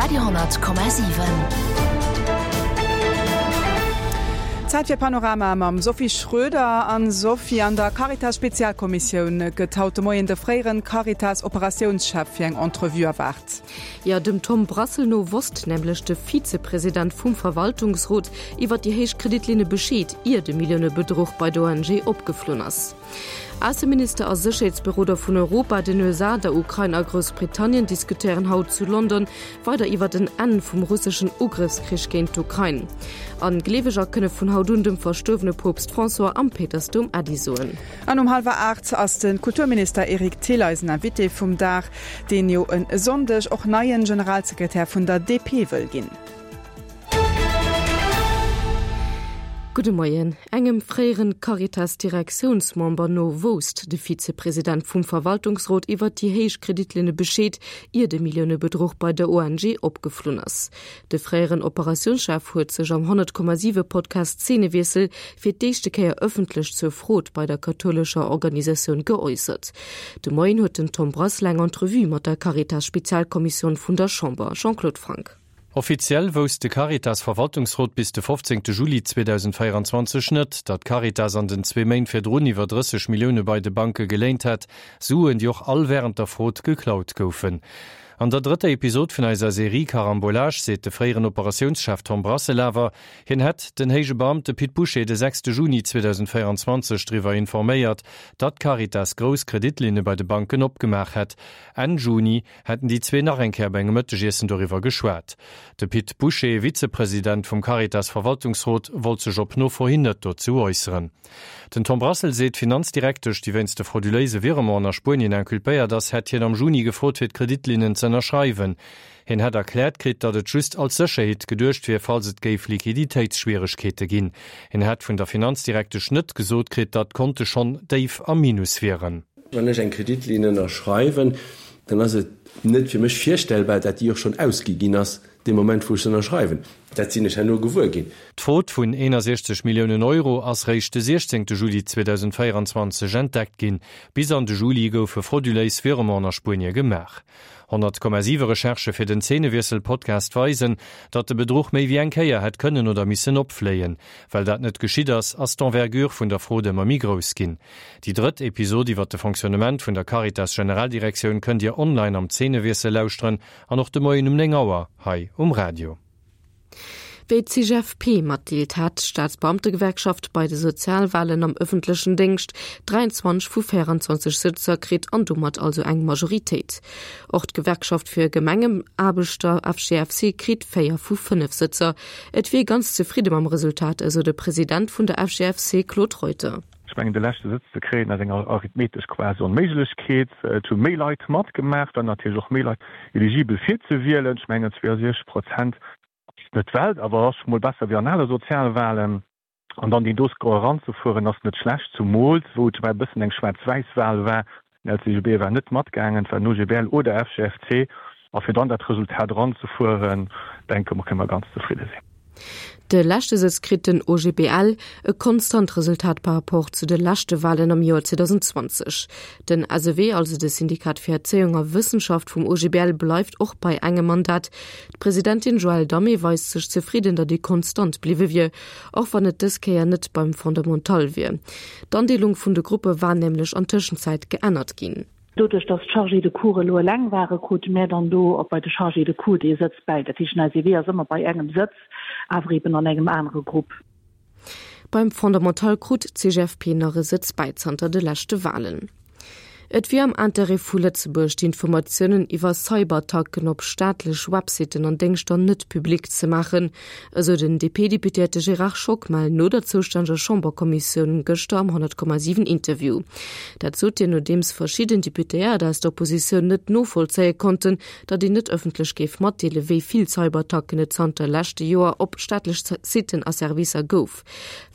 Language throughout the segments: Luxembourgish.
Radio 10,7. Zäit fir Panorama mam Sophie Schröder. An Sophie, an der Caritas-Spezialkommissioun gëtt haut de Moien de fréieren Caritas-Operatiounschef fir eng Entrevue erwaart. Jo, dem Tom Brassel no wosst nämlech de Vizepresident vum Verwaltungsrot iwwer déi héich Kreditlinne Bescheed, ier de Milliounebedruch bei der ONG opgeflunn ass. Ausseminister a Sécherheetsberoder vun Europa, den USA, der Ukrain a Groussbritannien diskutéieren haut zu London weider iwwert en Enn vum russeschen Ugrëffskrich géint d'Ukrain. An Gleeweger kënne vun haut un dem verstuerwene Poopst François am Péitersdoum Äddi soen. An um hallwer 8 ass de Kulturminister Eric Thill eisen Invité vum Dag, deen jo e Sonndeg och neien Generalsekretär vun der DP wëll ginn. Gudde Moien. Engem fréieren Caritas-Direktiounsmember no wousst de Vizepresident vum Verwaltungsrot iwwert déi héich Kreditlinne Bescheed, ier de Milliounebedruch bei der ONG opgeflunn ass. De fréieren Operatiounschef huet sech am 100,7 Podcast Zeenewiessel fir d'éischte Kéier ëffentlech zur Frod bei der kathoulescher Organisatioun geäussert. De Moien huet den Tom Brassel eng Entrevue mat der Caritas-Spezialkommissioun vun der Chamber. Jean-Claude Franck. Offiziell wousst de Caritas-Verwaltungsrot bis de 15 Juli 2024 net, datt d'Caritas an den zwee Méint virdrun iwwer 30 Millioune bei de Banke geléint hätt, Suen, déi och all wärend der Frod geklaut goufen. An der drëtter Episod vun eiser Serie Carambolage seet de fréieren Operatiounschef Tom Brassel awer, hien hätt den héije Beamte Pit Bouché de 6 Juni 2024 driwwer informéiert, datt d'Caritas grouss Kreditlinne bei de Banken opgemaach hätt. Enn Juni hätten déi zwee nach eng Kéier bei engem Mëttegiessen doriwwer geschwat. De Pit Bouché, Vizepresident vum Caritas-Verwaltungsrot, wollt sech op Nofro hin net dozou äusseren. Den Tom Brassel seet, d'Finanzdirektesch, déi wéinst de frauduléise Virementen a Spuenien inculpéiert ass, hätt hien am Juni gefrot, fir d'Kreditlinnen z'ënnerschreiwen. Hien hätt erkläert kritt, datt et just als Sécherheet geduecht wier, falls et géif Liquiditéitsschwieregkeete ginn. Hien hätt vun der Finanzdirektesch net gesot kritt, datt d'Konte schonn déif am Minus wieren. Wann ech eng Kreditlinn ënnerschreiwen, dann ass et net fir mech virstellbar, dat déi och schonn ausgi ginn ass dee Moment, wou ech se ënnerschreiwen. Dat sinn ech herno gewuer ginn. D'Frod vun 61 Milliounen Euro ass réischt de 16 Juli 2024 entdeckt ginn. Bis an de Juli goufe frauduléis Virementen a Spuenie gemaach. 100,7 Recherchë fir den Zeenewiessel-Podcast weisen, datt de Bedruch méi wéi eng Kéier hätt kënnen oder missen opfléien. Well dat net geschitt ass, ass d'Envergure vun der Frod ëmmer méi grouss ginn. Déi drëtt Episod iwwer de Fonctionnement vun der Caritas Generaldirektioun kënnt Dir online am Zeenewiessel lauschteren an och de Moien um 9 Auer hei um Radio. Wéi d'CGFP matdeelt, hat d'Staatsbeamtegewerkschaft bei de Sozialwalen am ëffentlechen Déngscht 23 vu 24 Sëtzer kritt an domat also eng Majoritéit. Och d'Gewerkschaft fir Gemengenaarbechter FGFC kritt 4 vu 5 Sëtzer. Et wier ee ganz zefridde mam Resultat, esou de President vun der FGFC Claude Reuter. Ech mengen, de leschte Sëtz ze kréien, ass eng arithmetesch quasi Onméiglechkeet. Et hu méi Leit matgemaach, et waren natierlech och méi Leit eligibel fir ze wielen. Ech mengen, 62 Prozent ass net d'Welt, awer ass scho mol besser wéi an ale Sozialwalen. An dann deen do Score eranzefueren, ass net schlecht, zumools wou et e bëssen eng Schwaarz-Wäiss-Wal war. Den LCGB war net matgaangen, et war den OGBL oder FGFC. A fir dann dat Resultat eranzefueren, denke mer, kënne mer ganz zefridde sinn. De leschte Sëtz kritt den OGBL, e konstant Resultat par rapport zu de leschte Walen am Joer 2020. Den SEW, also de Syndikat fir Erzéiung a Wëssenschaft vum OGBL, bleift och bei engem Mandat. D'Presidentin Joëlle Damé weist sech zefridden, datt ee konstant bliwwe wier, och wann et dës Kéier net beim Fondamental wier. D'Andeelung vun de Gruppe war nämlech an Tëschenzäit geännert ginn. Doduerch, dass d'Chargés de cours elo eleng waren, krute mär dann do och bei de Chargés de cours dee Sëtz bäi. Dat heescht, den SEW ass ëmmer bei engem Sëtz, awer eben an engem anere Grupp. Beim Fondamental krut d'CGFP nach e Sëtz bäi zanter de leschte Walen. Et wier am Interêt vu Lëtzebuerg, d'Informatiounen iwwer Cyberattacken op staatlech Websitten an Déngschter net public ze maachen, esou den DP-Deputéierte Gérard Schockmel no der zoustänneger Chamberkommissioun gëschter am 100,7 Interview. Dat sot hien, nodeems verschidden Deputéiert aus der Oppositioun net novollzéie konnten, datt een net ëffentlech géif matdeele wéi vill Cyberattacken et zanter leschte Joer op staatlech Sitten a Servicer gouf.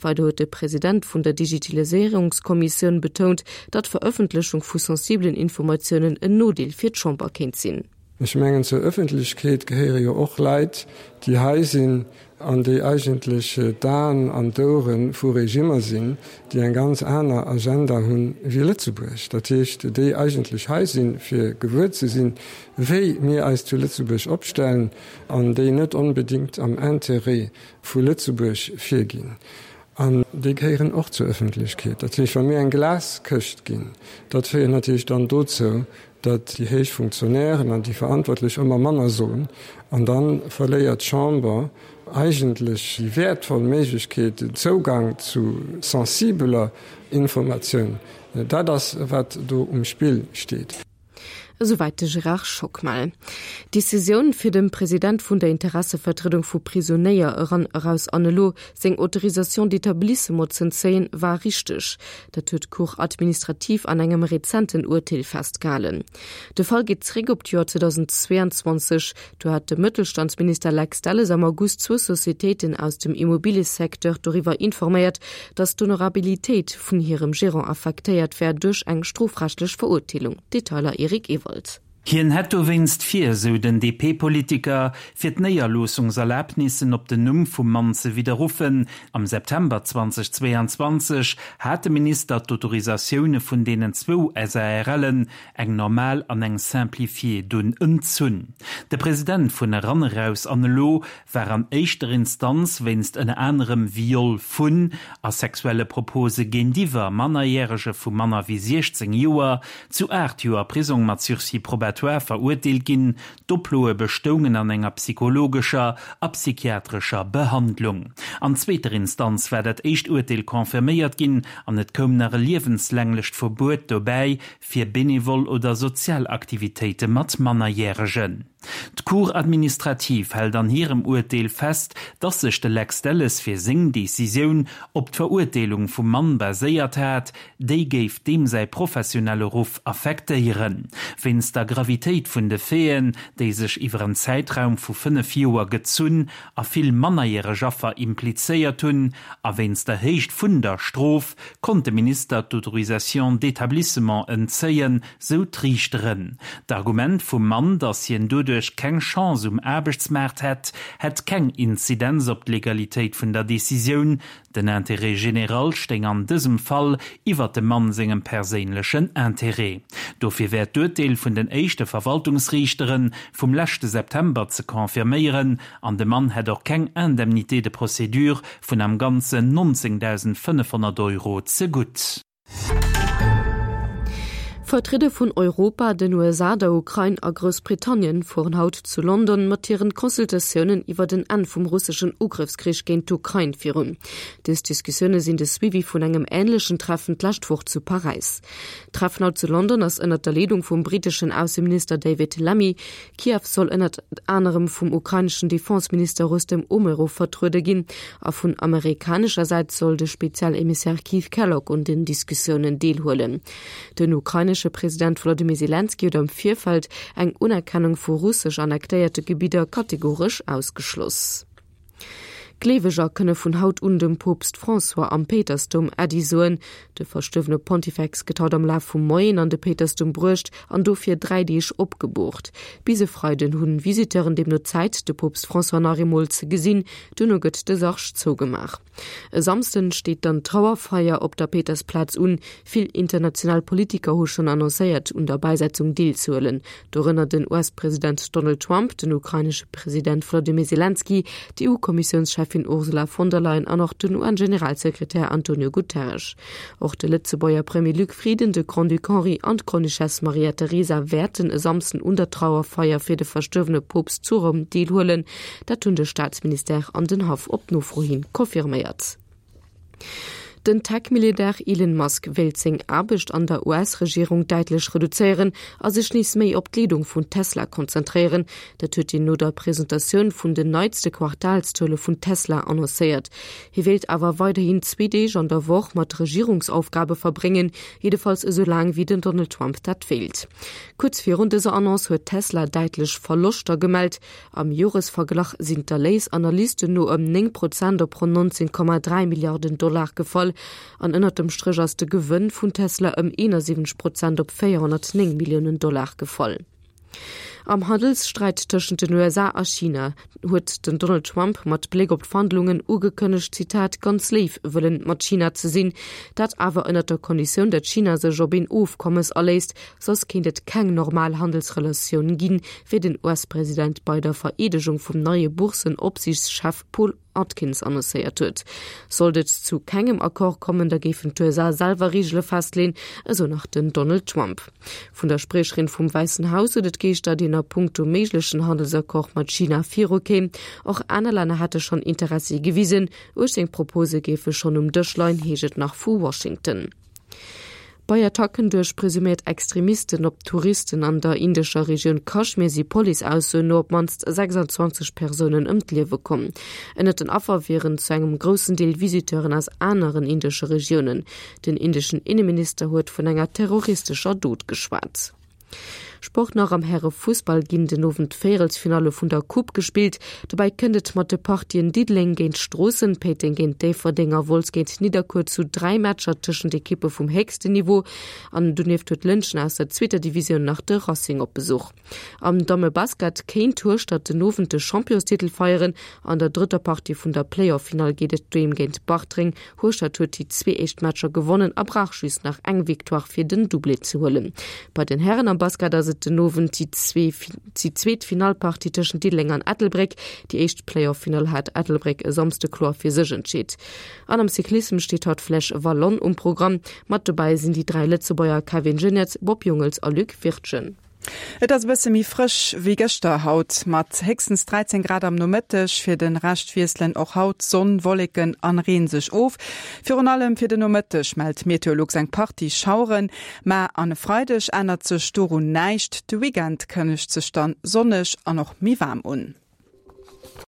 Weider huet de President vun der Digitaliséierungskommissioun betount, datt d'Verëffentlechung vu sensibelen Informatiounen en Nodeel fir d'Chamber kéint sinn. Ech mengen, zur Ëffentlechkeet gehéiere jo och Leit, déi hei sinn. an déi eigentlech d'Aen an d'Ouere vu Regimmer sinn, déi eng ganz aner Agenda hunn wéi Lëtzebuerg. Dat heescht, déi eigentlech hei sinn, fir gewuer ze sinn, wéi mir eis zu Lëtzebuerg opstellen, an déi net onbedéngt am Intérêt vu Lëtzebuerg virginn. An déi gehéieren och zur Ëffentlechkeet. Dat heescht, wa mir eng Glaskëscht ginn, dat féiert natierlech dann dozou, datt déi héich Funktionären an déi Verantwortlech ëmmer manner soen, an da verléiert d'Chamber eigentlech déi wäertvoll Méiglechkeet, den Zougang zu sensibeler Informatioun. Dat ass, wat do um Spill steet. Esouwäit de Gérard Schockmel. D'Decisioun, fir dem President vun der Interessevertriedung vu Prisonéier eran, eraus an elo seng Autorisation d'établissement z'entzéien, war richteg. Dat huet d'Cour administrative an engem rezenten Urteel festgehalen. De Fall geet zeréck op d'Joer 2022. Do hat de Mëttelstandsminister Lex Delles am August zwou Societéiten aus dem Immobiliësecteur doriwwer informéiert, datt d'Honorabilitéit vun hirem Gerant affektéiert wär duerch eng strofrechtlech Verurteelung. Detailer Eric Ewald. Hien hätt dowéinst vir, sou den DP-Politiker, fir d'Néierloossungserlabnissen op den Numm vum Mann ze widderruffen. Am September 2022 hat de Minister d'Autorisatioune vun deenen zwou SARLen, eng normal an eng simplifiée, dunn entzunn. De President vun Eran Eraus an Elo war an éischter Instanz wéinst ënner anerem Viol vun a sexuelle Propose géintiwwer Mannerjärege vu manner wéi 16 Joer zu 8 Joer Prisong mat Sursis probatoire verurteelt ginn. D'Oploe bestoungen an enger psychologescher a psychiatrescher Behandlung. An zweeter Instanz war dat éischt Urteel confirméiert ginn an et koum nach e liewenslänglecht Verbuet dobäi fir benevol oder sozial Aktivitéite mat Mannerjäregen. D'Cour administrative hält an hirem Urteel fest, dass sech de Lex Delles fir seng Decisioun op d'Verurteelung vum Mann baséiert hat, déi géif deem säi professionelle Ruff affektéieren. Wéinst der Gravitéit vun de Faiten, déi sech iwwer en Zäitraum vu 5 Joer gezunn a vill mannerjäreg Affer implizéiert hunn, a wéinst der Héicht vun der Strof, konnt de Minister d'Autorisation d'établissement entzéien, sou d'Riichteren. D'Argument vum Mann, datt hien doduerch keng Chance um Aarbechtsmaart hätt, hätt keng Inzidenz op d'Legalitéit vun der Decisioun. Den Intérêt général stéing an dësem Fall iwwer dem Mann sengem perséinlechen Intérêt. Dofir wär d'Urteel vun den éischte Verwaltungsriichtere vum leschte September ze confirméieren an de Mann hätt och keng Indemnité de procédure vun am Ganzen 19.500 Euro zegutt. Vertrieder vun Europa, den USA, der Ukrain a Groussbritannien fueren haut zu London mat hiren Consultatiounen iwwer en Enn vum russeschen Ugrëffskrich géint d'Ukrain virun. Dës Diskussioune sinn de Suivi vun engem änlechen Treffen d'lescht Woch zu Paräis. D'Treffen haut zu London ass ënnert der Leedung vum briteschen Ausseminister David Lammy. Kiew soll ënnert anerem vum ukraineschen Defenseminister Rustem Umerov vertruede ginn a vun amerikanescher Säit soll de Spezialemissär Keith Kellogg un den Diskussiounen deelhuelen. Den ukrainesche President Wolodymyr Selenskyj huet am Virfeld eng Unerkennung vu russesch annektéierte Gebidder kategoresch ausgeschloss. Gleeweger kënne vun haut un dem Poopst François am Péitersdoum Äddi soen. De verstuerwene Pontifex gëtt haut am Laf vum Moien an de Péitersdoum bruecht an do fir 3 Deeg opgeboort. Bis e Freiden hunn Visiteuren deemno Zäit, de Poopst François nach eemol ze gesinn. Duerno gëtt de Sarg zougemaach. E Samsden steet dann d'Trauerfeier op der Péitersplaz un. Vill international Politiker hu schonn annoncéiert, un der Bäisetzung deelzehuelen, dorënner den US-President Donald Trump, den ukrainesche President Wladimir Selenskyj, d'EU-Kommissiounscheffin Ursula von der Leyen an och den UN-Generalsekretär Antonio Guterres. Och de Lëtzebuerger Premier Luc Frieden, de Grand-Duc Henri an d'Grande-Duchesse Maria Teresa wäerten e Samsden un der Trauerfeier fir de verstuerwene Poopst zu Roum deelhuelen. Dat hunn de Staatsministère an den Haff op Nofro hin confirméiert. Den Tech-Milliardär Elon Musk wéilt seng Aarbecht an der US-Regierung däitlech reduzéieren a sech nees méi op d'Leedung vun Tesla konzentréieren. Dat huet hien no der Presentatioun vun den neitste Quartalszuele vun Tesla annoncéiert. Hie wéilt awer weiderhin zwee Deeg an der Woch mat Regierungsaufgabe verbréngen, jiddefalls esou laang wéi den Donald Trump dat wéilt. Kuerz virun dëser Annonce huet Tesla däitlech Verloschter gemellt. Am Joresverglach sinn d'Erléis Analysten no ëm 9 Prozent op ronn 19,3 Milliarden Dollar gefall. An ënnert dem Stréch ass de Gewënn vun Tesla ëm 71 Prozent op 409 Milliounen Dollar gefall. Am Handelssträit tëschent den USA a China huet den Donald Trump mat Bléck op d'Verhandlungen ugekënnegt, Zitat, ganz léif wëllen mat China ze sinn, dat awer ënnert der Konditioun, datt China sech op een Ofkommes aléisst, soss kéint et keng normal Handelsrelatioun ginn, wéi den US-President bei der Vereedegung vum neie Boursen-Opsiichtschef Paul Atkins annoncéiert huet. Sollt et zu kengem Accord kommen, da géifen d'USA selwer Reegele festleen, esou nach den Donald Trump. Vun der Spriecherin vum Wäissen Haus huet et geheescht, datt een a punkto méiglechen Handelsaccord mat China viru kéim. Och aner Länner hätte schonn Interessi gewisen. 18 Propose géife schonn um Dësch leien, heescht et nach vu Washington. Bei Attacken duerch presuméiert Extremisten op Touristen an der indescher Regioun Kaschmir si Police-Aussoen no op d'mannst 26 Persounen ëm d'Liewe komm. Ënnert den Affer wieren zu engem groussen Deel Visiteuren aus aneren indesche Regiounen. Den indeschen Inneminister huet vun enger terroristescher Dot geschwat. Sport nach, Am Häre-Fussball ginn den Owend d'Véierelsfinalle vun der Coupe gespillt. Dobäi kënnt et mat de Partien Diddeleng géint Stroossen, Péiteng géint Déifferdeng a Wolz géint Nidderkuer zu 3 Matcher tëschent Ekippe vum héchsten Niveau. An donieft huet Lëntgen aus der zweeter Divisioun nach de Racing op Besuch. Am Dammebasket kéint Hueschtert den Owend de Championstitel feieren. An der drëtter Partie vun der Playoff-Finall geet et doheem géint Bartreng. Hueschtert huet déi zwee éischt Matcher gewonnen a brauch just nach eng Victoire fir den Doublé ze huelen. Bei den Hären am Basket ass et den Owend déi zweet Finallpartie tëschent Diddeleng an Ettelbréck. Déi éischt Playoff-Finall hat Ettelbréck e Samsde kloer fir sech entscheet. An am Cyclissem steet haut d'Flèche Wallonne um Programm. Mat dobäi sinn déi 3 Lëtzebuerger Kevin Geniets, Bob Jungels a Luc Wirtgen. Et ass e bësse méi frësch wéi gëschter haut, mat héchstens 13 Grad am Nomëtteg. Fir de Rescht wiesselen och haut Sonn, Wolleken an Reen sech of. Virun allem fir de Nomëtteg mellt Meteolux eng Partie Schaueren, ma an e Freideg ännert sech dorun näischt. De Weekend kënnegt sech dann sonneg an och méi waarm un.